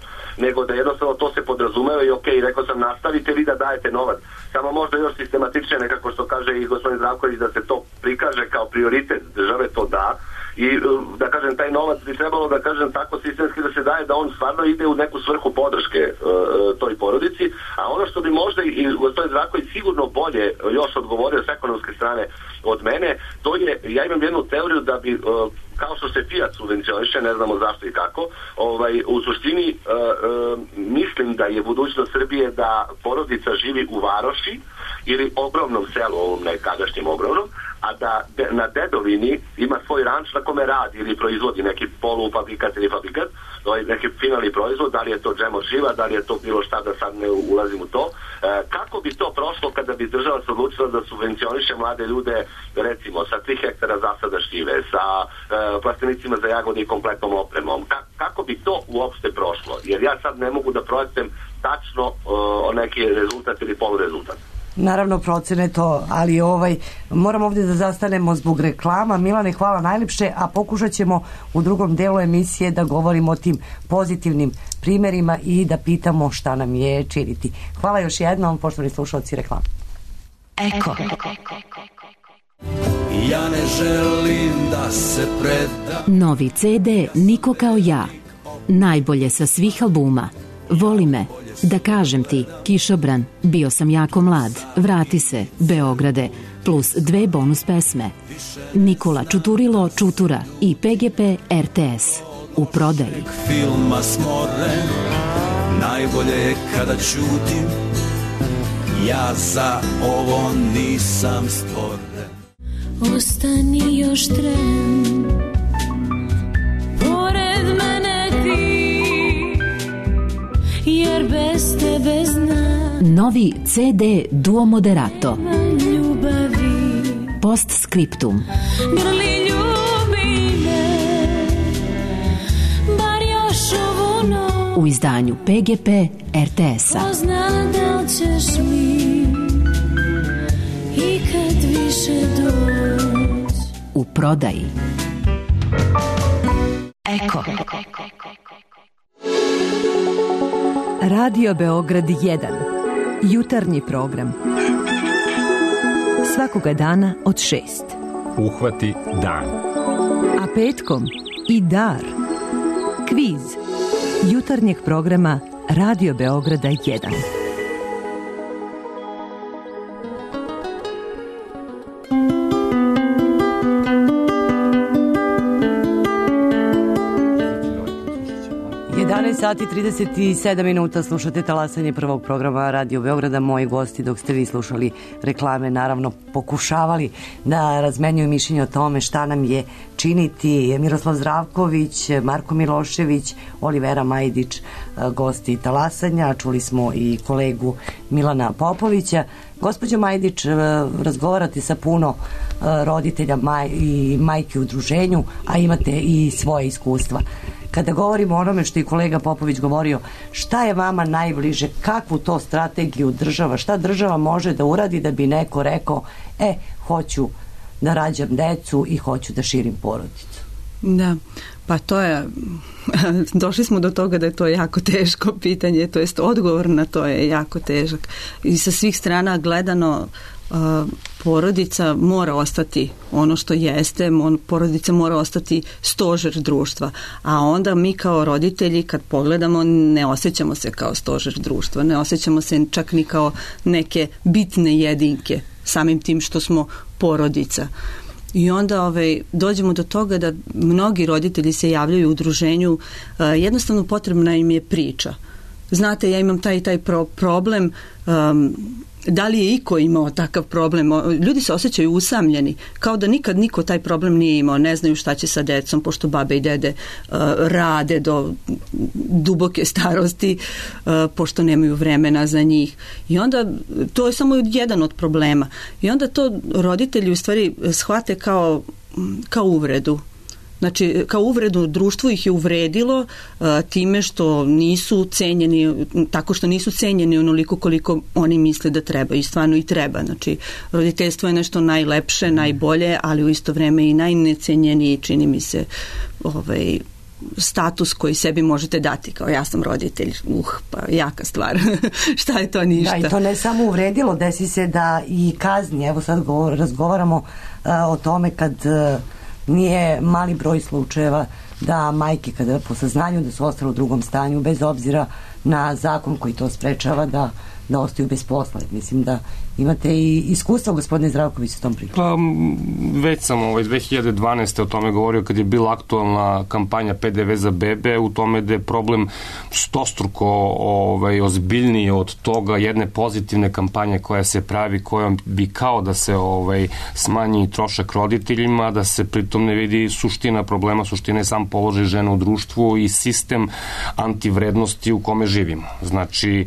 nego da jednostavno to se podrazumeva i okej, rekao sam nastavite vi da dajete novac, samo možda još sistematičnije nekako što kaže i gospodin Zdravković da se to prikaže kao prioritet države, to da, i da kažem taj novac bi trebalo da kažem tako sistemski da se daje da on stvarno ide u neku svrhu podrške toj porodici, a ono što bi možda i gospodin Zdravković sigurno bolje još odgovorio s ekonomske strane od mene, to je, ja imam jednu teoriju da bi kao što se Fiat subvencioniše, ne znamo zašto i kako, u suštini mislim da je budućnost Srbije da porodica živi u varoši ili ogromnom selu, ovom nekadašnjem ogromnom, a da na dedovini ima svoj ranč na kome radi ili proizvodi neki polufabrikat ili fabrikat, neki finalni proizvod, da li je to džemo živa, da li je to bilo šta, da sad ne ulazim u to. Kako bi to prošlo kada bi država se odlučila da subvencioniše mlade ljude, recimo, sa 3 hektara zasada šljive, sa plastenicima za jagode i kompletnom opremom? Kako bi to uopšte prošlo? Jer ja sad ne mogu da projektujem tačno neki rezultat ili polurezultat. Naravno procene to, ali moram ovdje da zastanemo zbog reklama. Milane, hvala najljepše, a pokušat ćemo u drugom delu emisije da govorimo o tim pozitivnim primjerima i da pitamo šta nam je činiti. Hvala još jednom, poštovani slušalci, reklama. Eko. Ja ne želim da se predam. Novi CD Niko kao ja. Najbolje sa svih albuma. Voli me, da kažem ti, Kišobran, bio sam jako mlad, vrati se, Beograde, plus 2 bonus pesme. Nikola Čuturilo Čutura i PGP RTS. U prodaji. Filma smoren, najbolje je kada ćutim, ja za ovo nisam stvoren. Ostani još tren, pored mene ti, jer bez tebe znam. Novi CD Duo Moderato. Ljubavi. Postscriptum. Grli ljubi me, bar još ovu noć. U izdanju PGP RTS-a. Pozna da li ćeš mi ikad više doći. U prodaji. Eko. Radio Beograd 1. Jutarnji program. Svakoga dana od 6. Uhvati dan. A petkom i dar. Kviz. Jutarnjeg programa Radio Beograda 1. 11 sati 37 minuta, slušate talasanje prvog programa Radio Beograda. Moji gosti, dok ste vi slušali reklame, naravno pokušavali da razmenjuju mišljenje o tome šta nam je činiti. Miroslav Zdravković, Marko Milošević, Olivera Majdić, gosti talasanja. Čuli smo i kolegu Milana Popovića. Gospođo Majdić, razgovarate sa puno roditelja i majki u udruženju, a imate i svoje iskustva. Kada govorimo o onome što je kolega Popović govorio, šta je vama najbliže, kakvu to strategiju država, šta država može da uradi da bi neko rekao, hoću da rađam decu i hoću da širim porodicu? Da, pa to je, došli smo do toga da je to jako teško pitanje, to jest odgovor na to je jako težak. I sa svih strana gledano, porodica mora ostati ono što jeste, porodica mora ostati stožer društva, a onda mi kao roditelji kad pogledamo ne osjećamo se kao stožer društva, ne osjećamo se čak ni kao neke bitne jedinke samim tim što smo porodica. I onda dođemo do toga da mnogi roditelji se javljaju u udruženju, jednostavno potrebna im je priča. Znate, ja imam taj problem, da li je iko imao takav problem? Ljudi se osjećaju usamljeni, kao da nikad niko taj problem nije imao, ne znaju šta će sa decom, pošto babe i dede rade do duboke starosti, pošto nemaju vremena za njih. I onda, to je samo jedan od problema. I onda to roditelji u stvari shvate kao uvredu. Znači, kao uvredu, društvo ih je uvredilo time što nisu cenjeni, tako što nisu cenjeni onoliko koliko oni misle da treba, i stvarno i treba. Znači, roditeljstvo je nešto najlepše, najbolje, ali u isto vreme i najnecenjeniji, čini mi se, status koji sebi možete dati, kao ja sam roditelj, pa jaka stvar. Šta je to, ništa. Da, i to ne samo uvredilo, desi se da i kazni, evo sad razgovaramo o tome kad nije mali broj slučajeva da majke kada po saznanju da su ostale u drugom stanju, bez obzira na zakon koji to sprečava, da ostaju bez posla. Mislim da imate i iskustvo, gospodine Zdravković, s tom pričom. Pa, već sam 2012. o tome govorio kad je bila aktualna kampanja PDV za bebe, u tome da je problem stostruko ozbiljniji od toga jedne pozitivne kampanje koja se pravi, kojom bi kao da se smanji trošak roditeljima, da se pritom ne vidi suština problema, suština je sam položaj žena u društvu i sistem antivrednosti u kome živimo. Znači,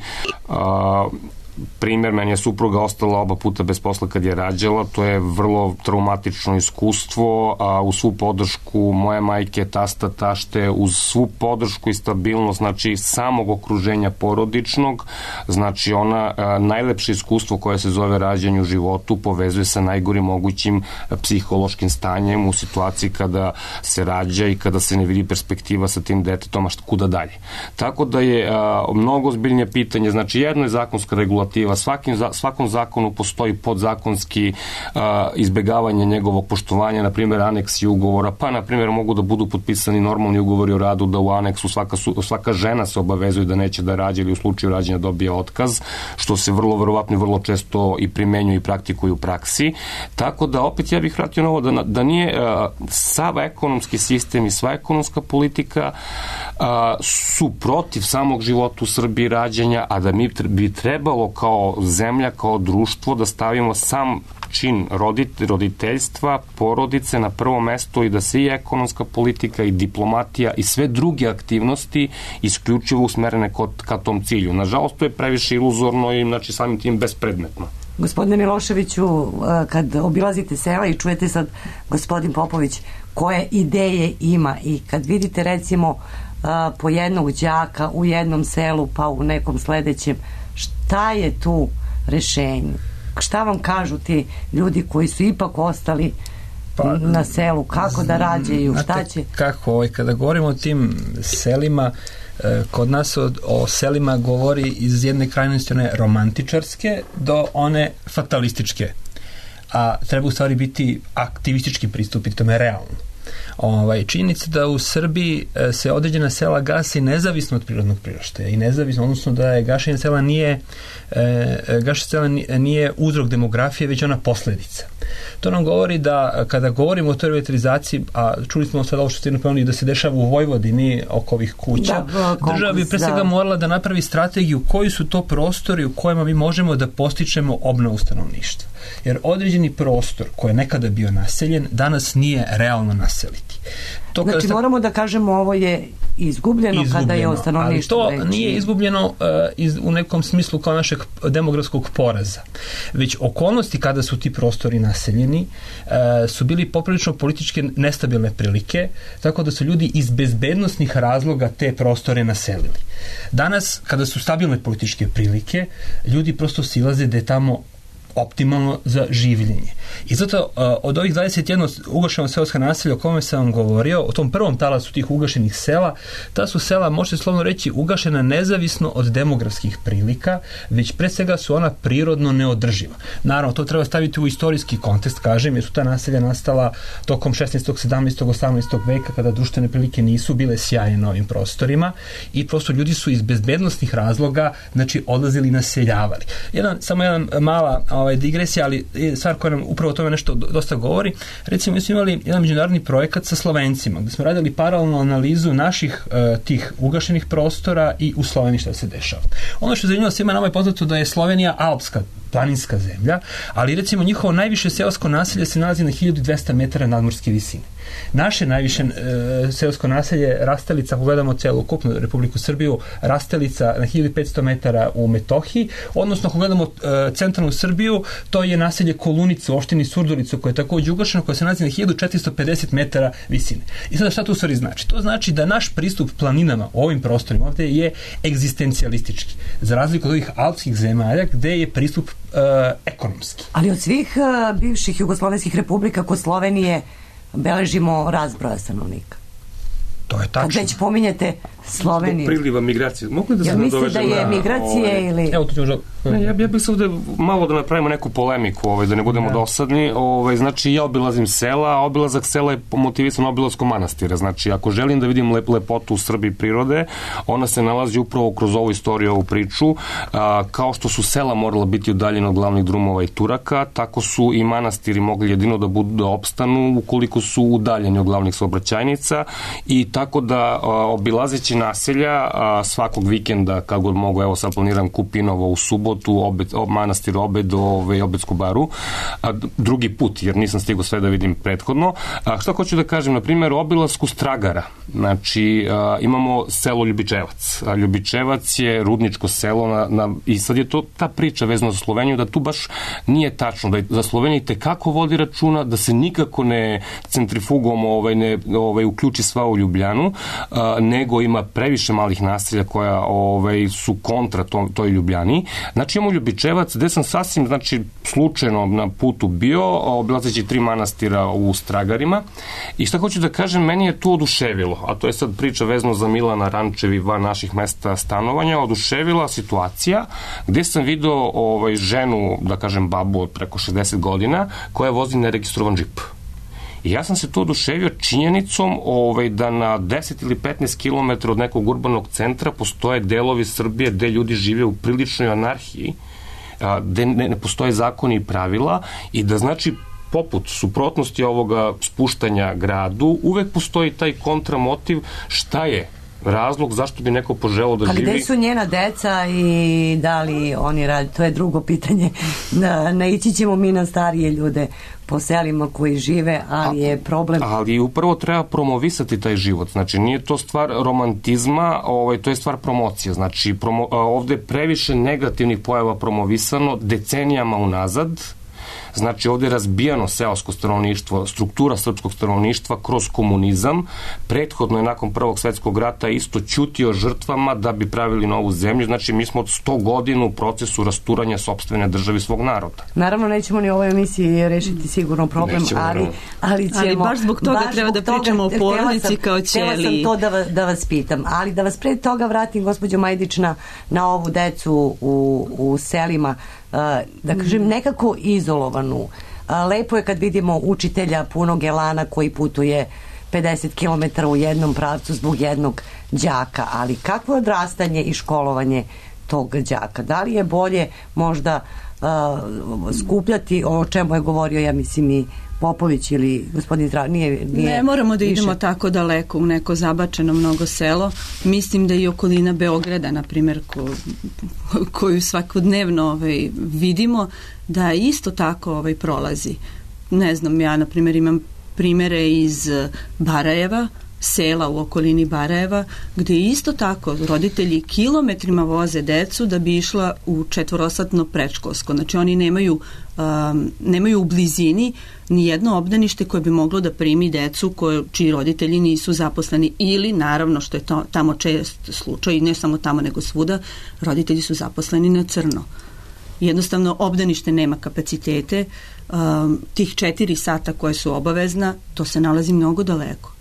primjer, meni je supruga ostala oba puta bez posla kad je rađala, to je vrlo traumatično iskustvo, a uz svu podršku moje majke, tasta, tašte, uz svu podršku i stabilnost, znači samog okruženja porodičnog, znači ona najlepše iskustvo koje se zove rađanje u životu povezuje sa najgorim mogućim psihološkim stanjem u situaciji kada se rađa i kada se ne vidi perspektiva sa tim detetom, a kuda dalje. Tako da je mnogo ozbiljnije pitanje, znači jedno je zakonska regulativa, svakom zakonu postoji podzakonski izbegavanje njegovog poštovanja, na primjer aneksi ugovora, pa na primjer mogu da budu potpisani normalni ugovori o radu, da u aneksu svaka žena se obavezuje da neće da rađa ili u slučaju rađanja dobije otkaz, što se vrlo verovatno i vrlo često i primenjuje i praktikuje u praksi. Tako da opet ja bih vratio na ovo da nije sav ekonomski sistem i sva ekonomska politika su protiv samog života u Srbiji, rađanja, a da mi bi trebalo kao zemlja, kao društvo da stavimo sam čin roditeljstva, porodice na prvo mesto i da se i ekonomska politika i diplomatija i sve druge aktivnosti isključivo usmerene ka tom cilju. Nažalost, to je previše iluzorno i znači samim tim bespredmetno. Gospodine Miloševiću, kad obilazite sela i čujete sad gospodin Popović koje ideje ima i kad vidite recimo po jednog đaka u jednom selu pa u nekom sledećem, šta je tu rešenje? Šta vam kažu ti ljudi koji su ipak ostali na selu? Kako da rađaju? Šta će? Kako, kada govorimo o tim selima, kod nas o selima govori iz jedne krajnosti one romantičarske do one fatalističke. A treba u stvari biti aktivistički pristup i tome realno. Činjenica da u Srbiji se određena sela gasi nezavisno od prirodnog priraštaja i nezavisno, odnosno da je gašenje sela nije uzrok demografije, već ona posledica. To nam govori da kada govorimo o toj revitalizaciji, a čuli smo sad ovo što ste napomenuli da se dešava u Vojvodini oko ovih kuća, država bi pre svega morala da napravi strategiju koji su to prostori u kojima mi možemo da postičemo obnovu stanovništva. Jer određeni prostor koji je nekada bio naseljen, danas nije realno naseliti. Znači moramo da kažemo ovo je izgubljeno kada je o stanovništvu reći. Ali to nije izgubljeno u nekom smislu kao našeg demografskog poraza. Već okolnosti kada su ti prostori naseljeni su bili poprilično političke nestabilne prilike, tako da su ljudi iz bezbednosnih razloga te prostore naselili. Danas, kada su stabilne političke prilike, ljudi prosto silaze da je tamo optimalno za življenje. I zato od ovih 21 ugašena seoska naselja o kome sam vam govorio, o tom prvom talasu tih ugašenih sela, ta su sela, možete slovno reći, ugašena nezavisno od demografskih prilika, već pre svega su ona prirodno neodrživa. Naravno, to treba staviti u istorijski kontekst, kažem, jer su ta naselja nastala tokom 16., 17., 18. veka, kada društvene prilike nisu bile sjajne na ovim prostorima i prosto ljudi su iz bezbednostnih razloga, znači, odlazili i naseljavali. Samo jedan mala digresija, ali stvar koja nam upravo o tome nešto dosta govori. Recimo, mi smo imali jedan međunarodni projekat sa Slovencima, gde smo radili paralelnu analizu naših tih ugašenih prostora i u Sloveniji šta se dešava. Ono što je zanimljivo svima nama je poznato da je Slovenija alpska, planinska zemlja, ali recimo njihovo najviše seosko naselje se nalazi na 1200 metara nadmorske visine. Naše najviše seosko naselje Rastelica, ako gledamo celokupnu Republiku Srbiju, Rastelica na 1500 metara u Metohiji, odnosno ako gledamo centralnu Srbiju, to je naselje Kolunicu u opštini Surdulicu, koje je takođe ugašeno, koje se nalazi na 1450 metara visine. I sada šta to u stvari znači? To znači da naš pristup planinama u ovim prostorima ovde je egzistencijalistički, za razliku od ovih alpskih zemalja gde je pristup ekonomski. Ali od svih bivših jugoslovenskih republika kod Slovenije beležimo rast broja stanovnika. To je tačno. Kad već pominjete Sloveniju. Priliva migracije. Mogu da se nadovežem da je migracije ili... Evo, to ću možda... Ja bih se ovde malo da napravimo neku polemiku, da ne budemo dosadni. Znači, ja obilazim sela, a obilazak sela je motivisan obilaskom manastira. Znači, ako želim da vidim lepotu u Srbiji prirode, ona se nalazi upravo kroz ovu istoriju, ovu priču. Kao što su sela morala biti udaljena od glavnih drumova i Turaka, tako su i manastiri mogli jedino da opstanu ukoliko su udaljeni od glavnih saobraćajnica, i tako da obilazeći naselja svakog vikenda, kad god mogu, evo sad planiram Kupinovo u subotu, manastir Obed, Obedsku baru, drugi put, jer nisam stigao sve da vidim prethodno. Šta hoću da kažem, na primjer, obilasku Stragara, znači imamo selo Ljubičevac. Ljubičevac je rudničko selo i sad je to ta priča vezana za Sloveniju, da tu baš nije tačno, da za Sloveniju tekako vodi računa, da se nikako ne centrifugom ne uključi sva u Ljubljanu, nego ima previše malih naselja koja su kontra toj Ljubljani. Znači imamo Ljubičevac, gde sam sasvim, slučajno na putu bio, obilazeći 3 manastira u Stragarima, i šta hoću da kažem, meni je tu oduševilo, a to je sad priča vezano za Milana Rančevi van naših mesta stanovanja, oduševila situacija gde sam video ženu, da kažem babu od preko 60 godina, koja vozi neregistrovan džip. I ja sam se tu oduševio činjenicom da na 10 ili 15 km od nekog urbanog centra postoje delovi Srbije gde ljudi žive u priličnoj anarhiji, gde ne postoje zakoni i pravila, i da znači poput suprotnosti ovoga spuštanja gradu uvek postoji taj kontramotiv šta je razlog zašto bi neko poželao da živi. A gde su njena deca i da li oni radi? To je drugo pitanje. Naići ćemo mi na starije ljude po selima koji žive, ali je problem... Ali upravo treba promovisati taj život. Znači, nije to stvar romantizma, to je stvar promocije. Znači, ovde je previše negativnih pojava promovisano decenijama unazad. Znači, ovde je razbijano seosko stanovništvo, struktura srpskog stanovništva kroz komunizam. Prethodno je nakon Prvog svetskog rata isto ćutio žrtvama da bi pravili novu zemlju. Znači, mi smo od 100 godina u procesu rasturanja sopstvene države svog naroda. Naravno, nećemo ni u ovoj emisiji rešiti sigurno problem, ali ćemo... Ali baš zbog toga treba da pričamo o porodici kao ćeliji. Htela sam to da vas pitam, ali da vas pre toga vratim, gospođo Majdić, na ovu decu u selima, da kažem, nekako izolovanu. Lepo je kad vidimo učitelja punog elana koji putuje 50 km u jednom pravcu zbog jednog đaka, ali kakvo je odrastanje i školovanje tog đaka? Da li je bolje možda skupljati, o čemu je govorio, ja mislim, i Popović ili gospodin Zdravko? Ne moramo da idemo tako daleko u neko zabačeno mnogo selo. Mislim da i okolina Beograda, na primjer, koju svakodnevno vidimo, da isto tako prolazi. Ne znam, ja na primjer imam primere iz Barajeva, sela u okolini Barajeva, gde isto tako roditelji kilometrima voze decu da bi išla u 4-satno predškolsko. Znači oni nemaju u blizini ni jedno obdanište koje bi moglo da primi decu čiji roditelji nisu zaposleni, ili naravno, što je tamo čest slučaj, ne samo tamo nego svuda, roditelji su zaposleni na crno. Jednostavno obdanište nema kapacitete, tih 4 sata koje su obavezna, to se nalazi mnogo daleko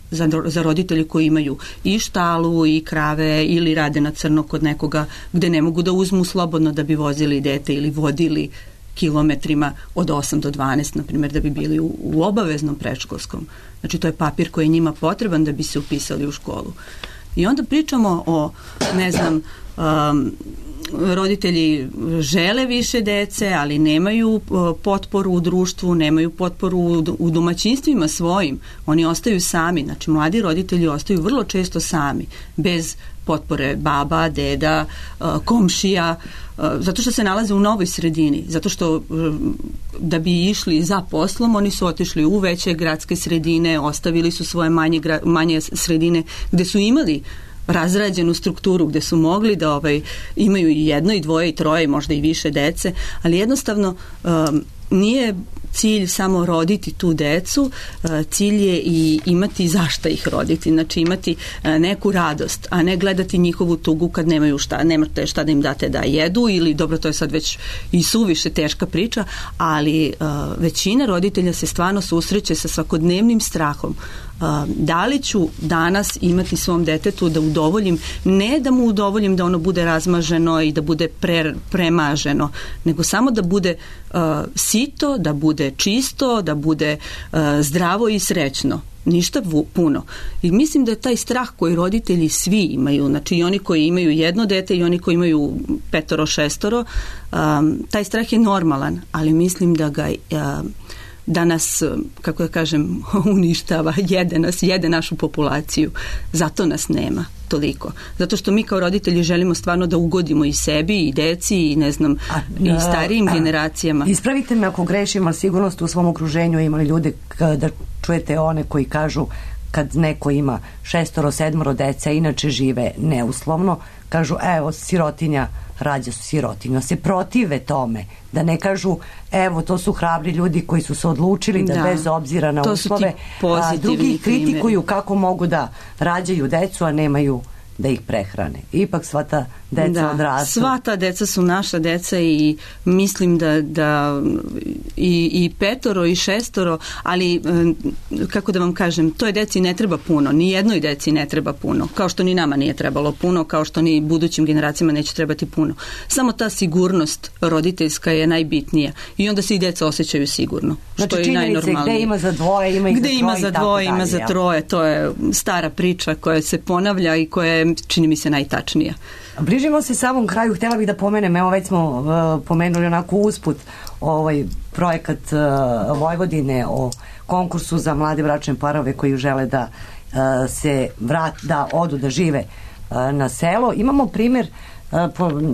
za roditelji koji imaju i štalu i krave ili rade na crno kod nekoga gde ne mogu da uzmu slobodno da bi vozili dete ili vodili kilometrima od 8 do 12, na primjer, da bi bili u obaveznom predškolskom. Znači, to je papir koji je njima potreban da bi se upisali u školu. I onda pričamo o, ne znam, roditelji žele više dece, ali nemaju potporu u društvu, nemaju potporu u domaćinstvima svojim. Oni ostaju sami. Znači, mladi roditelji ostaju vrlo često sami, bez potpore baba, deda, komšija, zato što se nalaze u novoj sredini, zato što da bi išli za poslom, oni su otišli u veće gradske sredine, ostavili su svoje manje sredine gde su imali razrađenu strukturu, gde su mogli da imaju i jedno i dvoje i troje, možda i više dece, ali jednostavno nije cilj samo roditi tu decu, cilj je i imati zašta ih roditi, znači imati neku radost, a ne gledati njihovu tugu kad nemaju nemate šta da im date da jedu, ili dobro, to je sad već i suviše teška priča, ali većina roditelja se stvarno susreće sa svakodnevnim strahom. Da li ću danas imati svom detetu da udovoljim, ne da mu udovoljim da ono bude razmaženo i da bude premaženo, nego samo da bude sito, da bude čisto, da bude zdravo i srećno. Ništa puno. I mislim da je taj strah koji roditelji svi imaju, znači i oni koji imaju jedno dete i oni koji imaju 5, 6, taj strah je normalan, ali mislim da nas, kako da kažem, uništava, jede našu populaciju. Zato nas nema toliko. Zato što mi kao roditelji želimo stvarno da ugodimo i sebi, i deci, i ne znam, i starijim generacijama. Ispravite me ako grešim, ali sigurno ste u svom okruženju imali ljude da čujete one koji kažu kad neko ima 6, 7 dece, inače žive neuslovno, kažu evo sirotinja rađa sirotinju, se protive tome, da ne kažu evo to su hrabri ljudi koji su se odlučili da bez obzira na uslove, a drugi kritikuju kako mogu da rađaju decu, a nemaju da ih prehrane. Ipak sva ta deca odrastu. Sva ta deca su naša deca i mislim da i 5 i 6, ali kako da vam kažem, toj deci ne treba puno, ni jednoj deci ne treba puno, kao što ni nama nije trebalo puno, kao što ni budućim generacijama neće trebati puno. Samo ta sigurnost roditeljska je najbitnija i onda se i deca osjećaju sigurno, što je najnormalnije. Gde ima za dvoje, ima i za troje. Gde ima za dvoje, ima za troje, to je stara priča koja se ponavlja i koja je, čini mi se, najtačnija. Bližimo se samom kraju, htjela bih da pomenem, evo već smo pomenuli onako usput ovaj projekat Vojvodine o konkursu za mlade bračne parove koji žele da se da odu da žive na selo. Imamo primjer,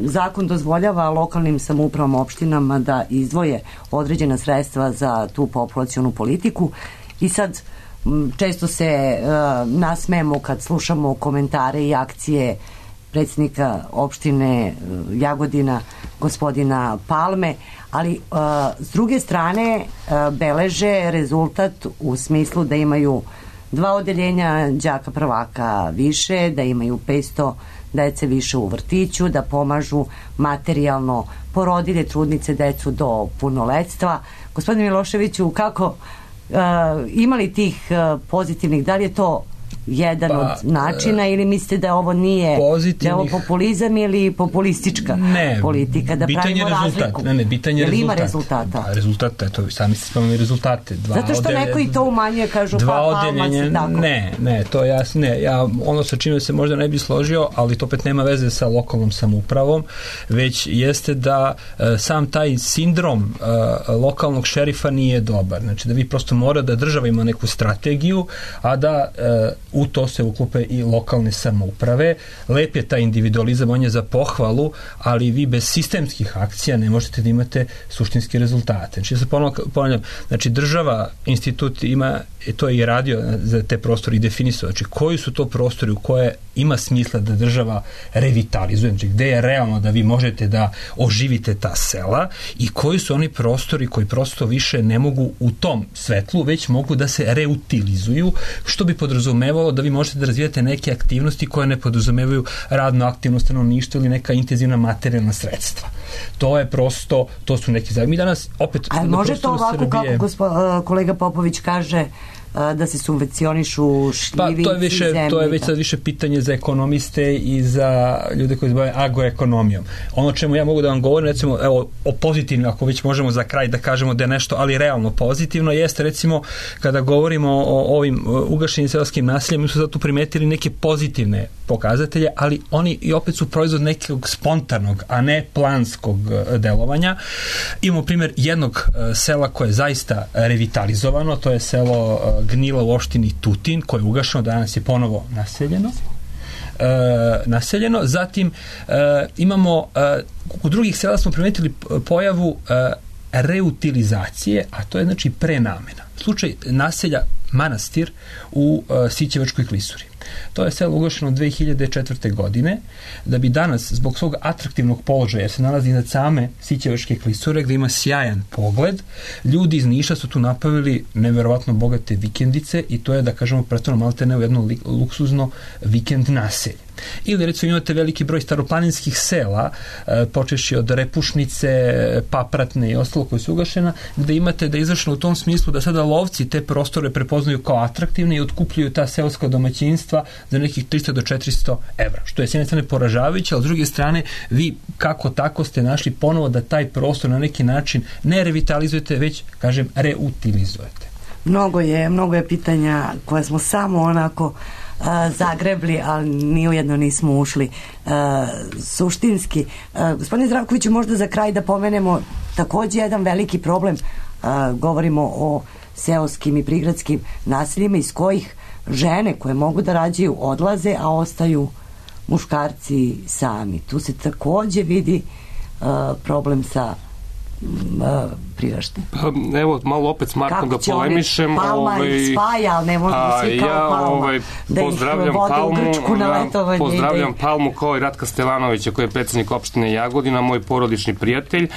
zakon dozvoljava lokalnim samoupravama, opštinama da izdvoje određena sredstva za tu populacionu politiku i sad često se nasmejemo kad slušamo komentare i akcije predsjednika opštine Jagodina, gospodina Palme, ali s druge strane beleže rezultat u smislu da imaju 2 odeljenja đaka prvaka više, da imaju 500 dece više u vrtiću, da pomažu materijalno porodilje, trudnice, decu do punoletstva. Gospodine Miloševiću, kako imali tih pozitivnih, da li je to jedan od načina ili mislite da ovo nije da je ovo populizam ili populistička politika, da pravimo razliku? Bitan je rezultat. Ima rezultata? Rezultata, eto, sami ste spomenuli rezultate. Zato što neko i to umanjuje, kažu Ne, to jasno, ja ono sa čime se možda ne bi složio, ali to opet nema veze sa lokalnom samoupravom, već jeste da sam taj sindrom lokalnog šerifa nije dobar. Znači da vi prosto mora da država ima neku strategiju, a da u to se uklope i lokalne samouprave. Lep je taj individualizam, on je za pohvalu, ali vi bez sistemskih akcija ne možete da imate suštinske rezultate. Znači, ja se ponavljam, znači država, institut ima, to je i radio za te prostore i definisao, znači koji su to prostori u koje ima smisla da država revitalizuje, znači gde je realno da vi možete da oživite ta sela i koji su oni prostori koji prosto više ne mogu u tom svetlu, već mogu da se reutilizuju, što bi podrazumevalo da vi možete da razvijate neke aktivnosti koje ne podrazumevaju radno aktivno stanovništvo ili neka intenzivna materijalna sredstva. To je prosto, to su neki zajedni. Mi danas opet... A može to ovako Srbije... kako kolega Popović kaže, da se subvencionišu šljivinci, to je već sad više pitanje za ekonomiste i za ljude koji se bave agroekonomijom. Ono čemu ja mogu da vam govorim, recimo, evo, o pozitivnim, ako već možemo za kraj da kažemo da je nešto, ali realno pozitivno, jeste recimo kada govorimo o ovim ugašenim seoskim naseljima, mi smo zato primetili neke pozitivne pokazatelje, ali oni i opet su proizvod nekog spontanog, a ne planskog delovanja. Imamo primjer jednog sela koje je zaista revitalizovano, to je selo Gnjila u opštini Tutin, koje je ugašeno, danas je ponovo naseljeno. Zatim imamo u drugih sela smo primetili pojavu reutilizacije, a to je znači prenamena. Slučaj naselja Manastir u Sićevačkoj klisuri. To je selo ugašeno 2004. godine, da bi danas, zbog svog atraktivnog položaja, jer se nalazi iznad same Sićevačke klisure, gde ima sjajan pogled, ljudi iz Niša su tu napravili neverovatno bogate vikendice i to je, da kažemo, pretvoreno maltene u jedno luksuzno vikend naselje. Ili recimo imate veliki broj staroplaninskih sela, počeši od Repušnice, Papratne i ostalo koje su ugašena, gde imate da je izvršeno u tom smislu da sada lovci te prostore prepoznaju kao atraktivne i otkupljuju ta seoska domaćinstva za nekih 300 do 400 evra, što je s jedne strane poražavajuće, a s druge strane vi kako tako ste našli ponovo da taj prostor na neki način ne revitalizujete, već, kažem, reutilizujete. Mnogo je pitanja koja smo samo onako zagrebli, ali ni ujedno nismo ušli suštinski. Gospodine Zdravkoviću, možda za kraj da pomenemo takođe jedan veliki problem, govorimo o seoskim i prigradskim naseljima iz kojih žene koje mogu da rađaju odlaze, a ostaju muškarci sami. Tu se takođe vidi problem sa priraštaj. Evo, malo opet s Markom da polemišem. Palma ih spaja, ali ne možemo svi kao Palma. Da ih vode u Grčku na letovanje. Pozdravljam Palmu kao i Ratka Stevanovića, koji je predsjednik opštine Jagodina, moj porodični prijatelj.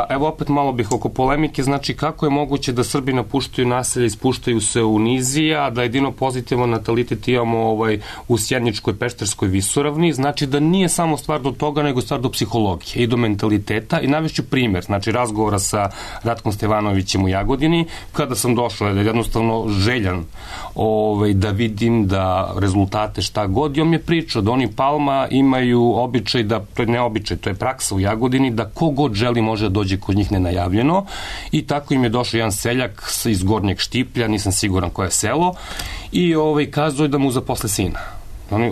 Evo, opet malo bih oko polemike. Znači, kako je moguće da Srbi napuštaju naselje i spuštaju se u nizija, da jedino pozitivno natalitet imamo u Sjeničkoj Pešterskoj visoravni. Znači, da nije samo stvar do toga, nego stvar do psihologije i do mentaliteta. I navešću primjer, znači, razgovora sa Ratkom Stevanovićem u Jagodini, kada sam došao, jednostavno željan da vidim da rezultate šta god, i on mi je pričao da oni Palma imaju običaj, da to je ne običaj, to je praksa u Jagodini, da ko god želi može da dođe kod njih nenajavljeno, i tako im je došao jedan seljak iz Gornjeg Štiplja, nisam siguran koje je selo, i kazao je da mu zaposle sina.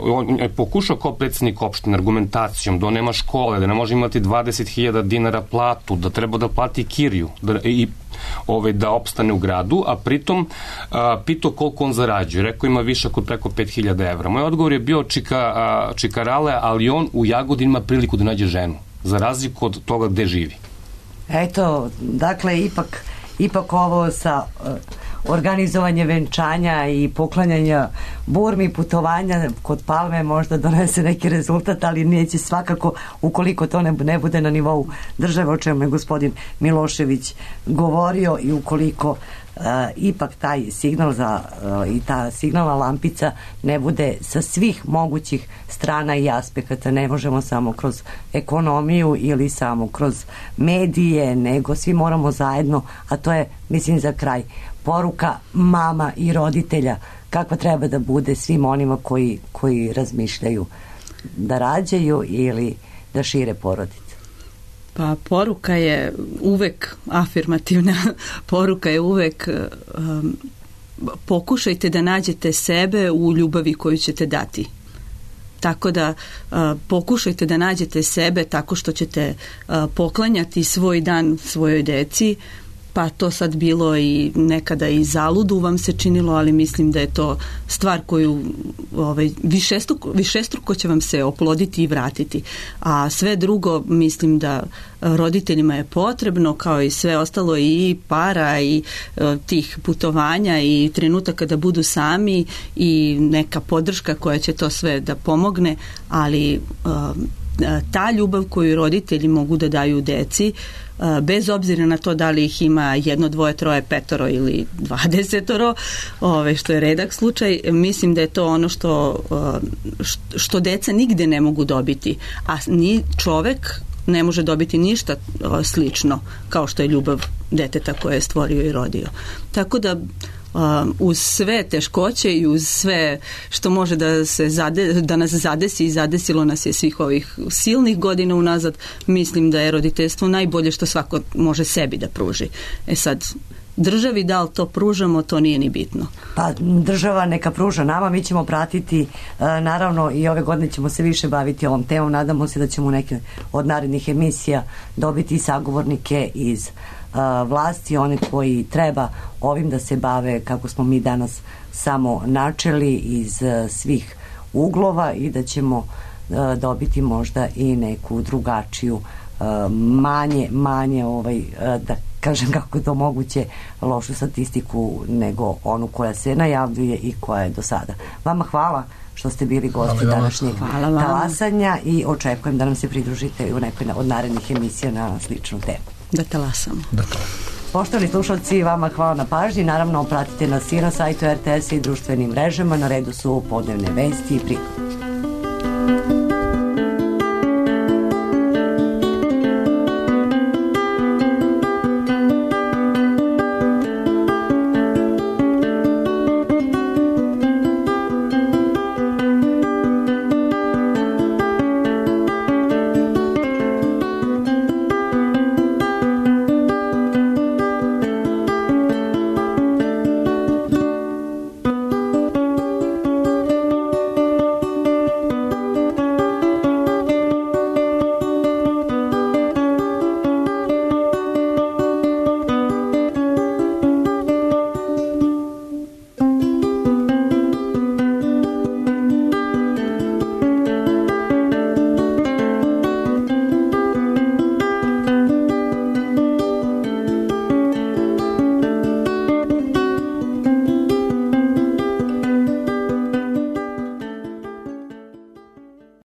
On je pokušao kao predsjednik opštine argumentacijom da on nema škole, da ne može imati 20.000 dinara platu, da treba da plati kiriju i da opstane u gradu, a pritom pitao koliko on zarađuje. Rekao ima višak od preko 5.000 evra. Moj odgovor je bio čikarale, ali on u Jagodini ima priliku da nađe ženu, za razliku od toga gde živi. Eto, dakle, ipak ovo sa organizovanje venčanja i poklanjanja burmi, putovanja kod Palme možda donese neki rezultat, ali neće svakako ukoliko to ne bude na nivou države, o čemu je gospodin Milošević govorio, i ukoliko ipak taj signal i ta signalna lampica ne bude sa svih mogućih strana i aspekata. Ne možemo samo kroz ekonomiju ili samo kroz medije, nego svi moramo zajedno, a to je, mislim, za kraj poruka mama i roditelja kakva treba da bude svim onima koji razmišljaju da rađaju ili da šire porodice. Pa poruka je uvek afirmativna, poruka je uvek pokušajte da nađete sebe u ljubavi koju ćete dati. Tako da pokušajte da nađete sebe tako što ćete poklanjati svoj dan svojoj deci, pa to sad bilo i nekada i zaludu vam se činilo, ali mislim da je to stvar koju višestruko će vam se oploditi i vratiti. A sve drugo mislim da roditeljima je potrebno, kao i sve ostalo, i para i tih putovanja i trenutaka da budu sami i neka podrška koja će to sve da pomogne, ali ta ljubav koju roditelji mogu da daju deci, bez obzira na to da li ih ima 1, 2, 3, 5 ili 20, što je redak slučaj, mislim da je to ono što deca nigde ne mogu dobiti, a ni čovek ne može dobiti ništa slično kao što je ljubav deteta koje je stvorio i rodio. Tako da uz sve teškoće i uz sve što može da nas zadesi i zadesilo nas je svih ovih silnih godina unazad, mislim da je roditeljstvo najbolje što svako može sebi da pruži. Sad, državi da li to pružamo, to nije ni bitno. Pa država neka pruža nama, mi ćemo pratiti, naravno i ove godine ćemo se više baviti ovom temom, nadamo se da ćemo u neke od narednih emisija dobiti sagovornike iz vlasti, one koji treba ovim da se bave, kako smo mi danas samo načeli iz svih uglova, i da ćemo dobiti možda i neku drugačiju manje da kažem kako je to moguće, lošu statistiku nego onu koja se najavljuje i koja je do sada. Vama hvala što ste bili gosti današnjeg talasanja i očekujem da nam se pridružite u nekoj od narednih emisija na sličnu temu. Da talasamo. Poštovani slušalci, vama hvala na pažnji. Naravno, pratite nas i na sajtu RTS i društvenim mrežama. Na redu su podnevne vesti i prigode.